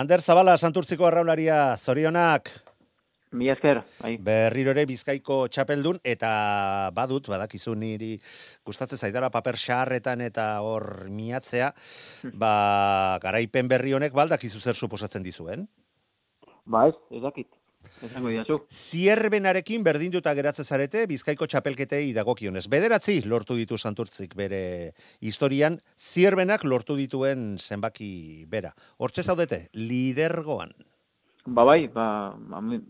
Ander Zabala, Santurtziko arraunlaria, zorionak. Mila esker, bai. Berriro ere Bizkaiko txapeldun, eta badakizu niri gustatzen zaidala paper xaharretan eta hor miatzea, garaipen berri honek baldakizu zer suposatzen dizuen? Ba ez dakit. Esango didazu. Zierbenarekin berdinduta geratzen zarete Bizkaiko txapelketei dagokionez. 9 lortu ditu Santurtzik bere historian, Zierbenak lortu dituen zenbaki bera. Hortxe zaudete, lidergoan. Bai,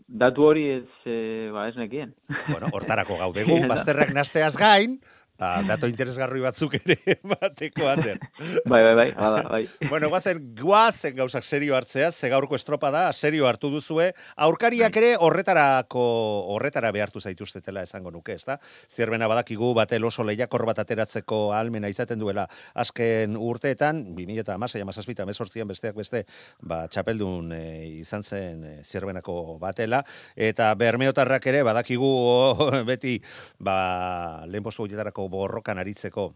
datu hori ez nekien. Bueno, hortarako gaudegu, bazterrak nasteaz gain, dato interesgarri batzuk ere bateko, Ander. Bai. Bueno, guazen gauzak serio hartzea, ze gaurko estropada serio hartu duzue, aurkariak ere horretara behartu zaituztetela esango nuke, ezta? Zierbena badakigu batel oso lehiakor bat ateratzeko ahalmena izaten duela azken urteetan, 2016, 2017, 2018 besteak beste, txapeldun izan zen Zierbenako batela, eta bermeotarrak ere badakigu beti lehen postu horietarako borrokan aritzeko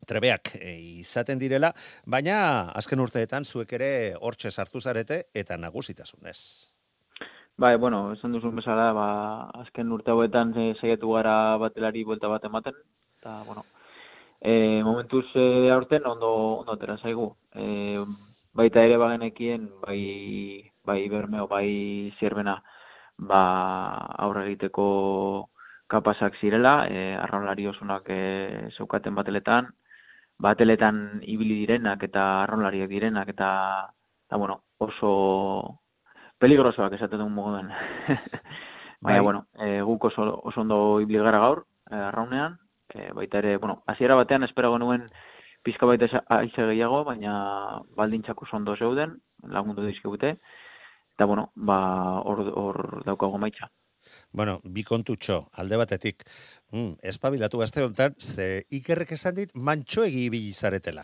trebeak izaten direla, baina azken urteetan zuek ere hortxe sartu zarete eta nagusitasunez. Bai, esan duzun bezala, azken urte hauetan saiatu gara batelari buelta bat ematen, eta, momentuz aurten ondo atera zaigu. Baita ere bagenekien, bai Bermeo, bai Zierbena, aurre egiteko kapazak zirela, arraunlari osunak zeukaten bateletan ibili direnak eta arraunlariak direnak eta oso peligrosoak esaten duen moduan. Baina, guk oso ondo ibili gara gaur, arraunean, baita ere, hasiera batean esperago nuen pizka baita aize gehiago, baina baldintzak oso ondo zeuden, lagundu dizkigute, eta hor daukago maitza. Bi kontutxo, alde batetik, espabilatu gazte honetan, ze Ikerrek esan dit, mantxoegi ibili zaretela.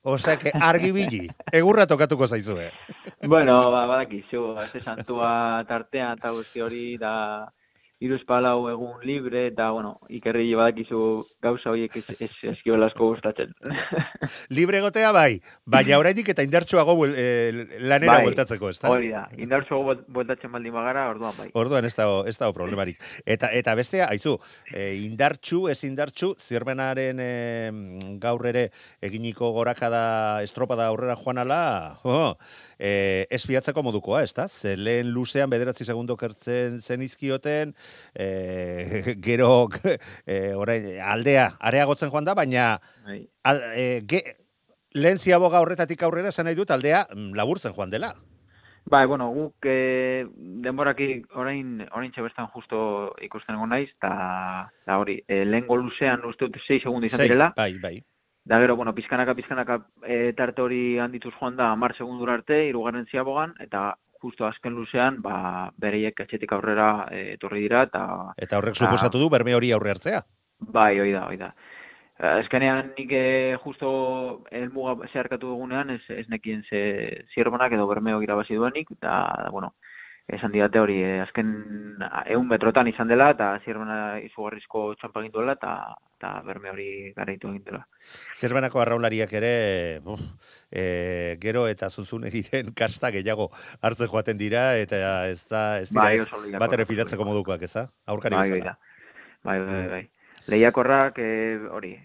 Osea, argi bili, egurra tokatuko zaizue. Badakizu, azte santua tartean, eta guzti hori, da iruzpalau egun libre, eta, Ikerri badakizu gauza horiek eskibela asko gustatzen. Libre gotea baina oraindik eta indartsuago lanera bueltatzeko, ez da? Hori da, indartsuago bueltatzen baldin bagara, orduan bai. Orduan ez dago problemarik. Eta bestea, aizu, indartsu, ez indartsu, Zierbenaren gaur ere eginiko gorakada estropada aurrera joan ala, ez fiatzeko modukoa, ez da? Ze lehen luzean 9 segundo kertzen zen izkioten, gero orain aldea areagotzen joan da, baina lehen ziaboga horretatik aurrera esan nahi dut aldea laburtzen joan dela. Guk denboraki orain txabestan justo ikusten egon naiz, eta hori, lehengo luzean uste dut 6 segundo izan direla. Bai. Da gero, pizkanaka tarte hori handituz joan da 10 segundura arte, 3. ziabogan, eta justo azken luzean, bereiek atxetik aurrera etorri dira, eta horrek suposatu du berme hori aurre hartzea? Bai, hoi da. Ezkenean nik justo elmuga zeharkatu dugunean, ez nekien Zierbenak edo Bermeo irabazi duenik, eta, esan didate hori, azken 100 metrotan izan dela, eta Zierbena izugarrizko txampa egin duela, eta Berme hori garaitu egin dela. Zierbenako arraunlariak ere, gero eta Zuzunegiren kasta gehiago hartzen joaten dira, eta ez dira bat ere fidatzeko modukoak, ez da? Aurkari bezala. Bai. Lehiakorrak, hori,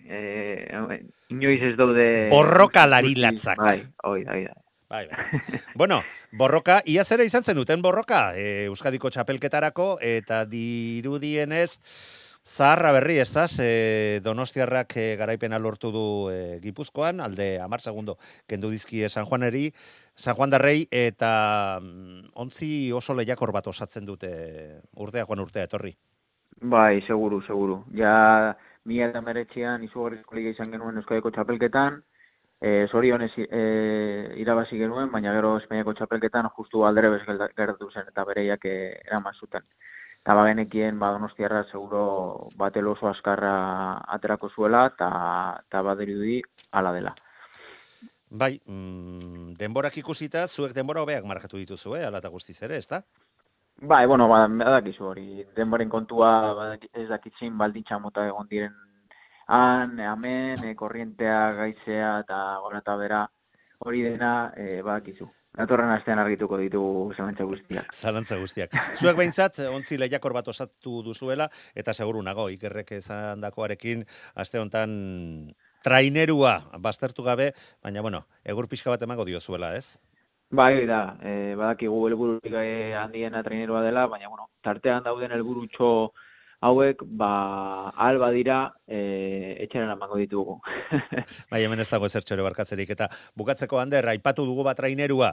inoiz ez daude... Borrokalari latzak. Bai, hoi da. Bai. Borroka, ia zera izan zen duten borroka, Euskadiko txapelketarako, eta dirudienez, zaharra berri, ez da, Donostiarrak garaipena lortu du Gipuzkoan, alde 10 segundo kendu dizki San Juan Darrei, eta ontzi oso lehiakor bat osatzen dute urtea etorri. Bai, seguru. Ja, 2019an izugarrizko liga izan genuen Euskadiko txapelketan, zorionez irabazi genuen, baina gero Espainiako txapelketan justu alderebez gertatu zen eta bereiak eraman zuten. Eta bagenekien Donostiarra seguro batel oso azkarra aterako zuela eta badirudi hala dela. Bai, denborak ikusita, zuek denbora hobeak markatu dituzu, ala eta guztiz ere, ez da? Bai, badakizu hori, denboren kontua ez dakitzin baldintza mota egon diren hemen, korrientea, gaizea eta gora eta bera, hori dena badakizu. datorren astean argituko ditugu zalantza guztiak. Zalantza guztiak. Zuek behintzat, ontzi lehiakor bat osatu duzuela, eta seguru nago, Ikerrek esan dakoarekin, aste hontan trainerua baztertu gabe, baina, bueno, egur pixka bat emango diozuela, ez? Bai, da, badakigu helbururik handiena trainerua dela, baina, bueno, tartean dauden helburutxo hauek, ahal badira, etxeran emango ditugu. Bai, hemen ez dago ezertxo ere barkatzerik. Eta bukatzeko, Ander, aipatu dugu bat trainerua,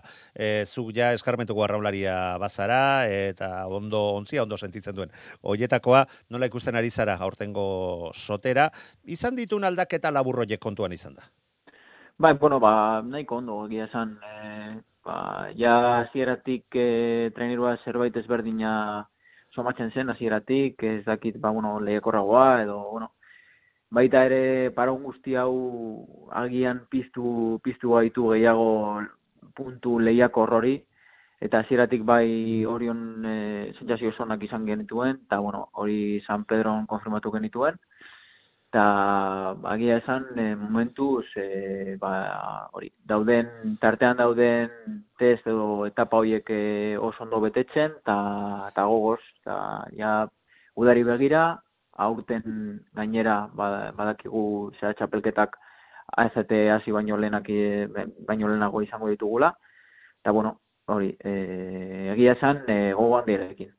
zuk ja eskarmentuko arraularia bazara, eta ontzia ondo sentitzen duen. Oietakoa, nola ikusten ari zara aurtengo sotera, izan ditun aldaketa laburroiek kontuan izan da? Bai, bueno, nahiko ondo, egia esan, ja hasieratik trainerua zerbait ezberdina somatzen zen hasieratik, ez dakit, lehiakorragoa, edo, baita ere paraun guzti hau agian piztu gaitu gehiago puntu lehiakor hori, eta hasieratik bai Orion sentsazio zonak izan genituen, eta hori San Pedron konfirmatu genituen, eta agia esan momentuz hori tartean dauden test edo etapa horiek oso ondo betetzen, eta gogoz, eta ja udari begira, aurten gainera badakigu zera txapelketak AZT hasi baino lehenago izango ditugula, eta hori, egia esan gogo handiarekin.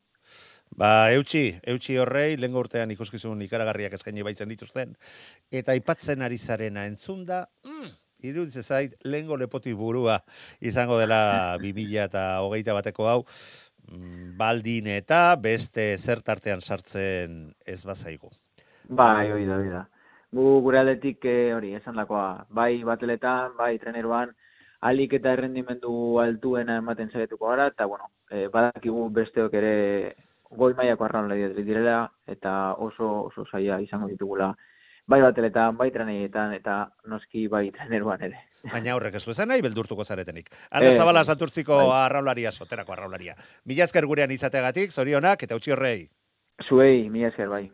Eutxi horrei, lehengo urtean ikuskizun ikaragarriak eskaini baitzen dituzten, eta aipatzen ari zarena entzunda, iruditzen zait, lehengo lepoti burua izango dela 2021 hau, baldin eta beste zertartean sartzen ez bazaigu. Bai, hori da. Gure aldetik hori, esan dakoa, bai bateletan, bai treneroan, alik eta errendimendu altuena ematen zaituko gara, eta badakigu besteok ere goi mailako arraunlari direla, eta oso zaila izango ditugula, bai bateletan, bai treneietan, eta noski bai treneroan ere. Baina horrek ez du esan nahi beldurtuko zaretenik. Ander Zabala Santurtziko arraularia, soterako arraularia. Mila esker gurean izategatik, zorionak, eta utzi horrei. Zuei, mila esker bai.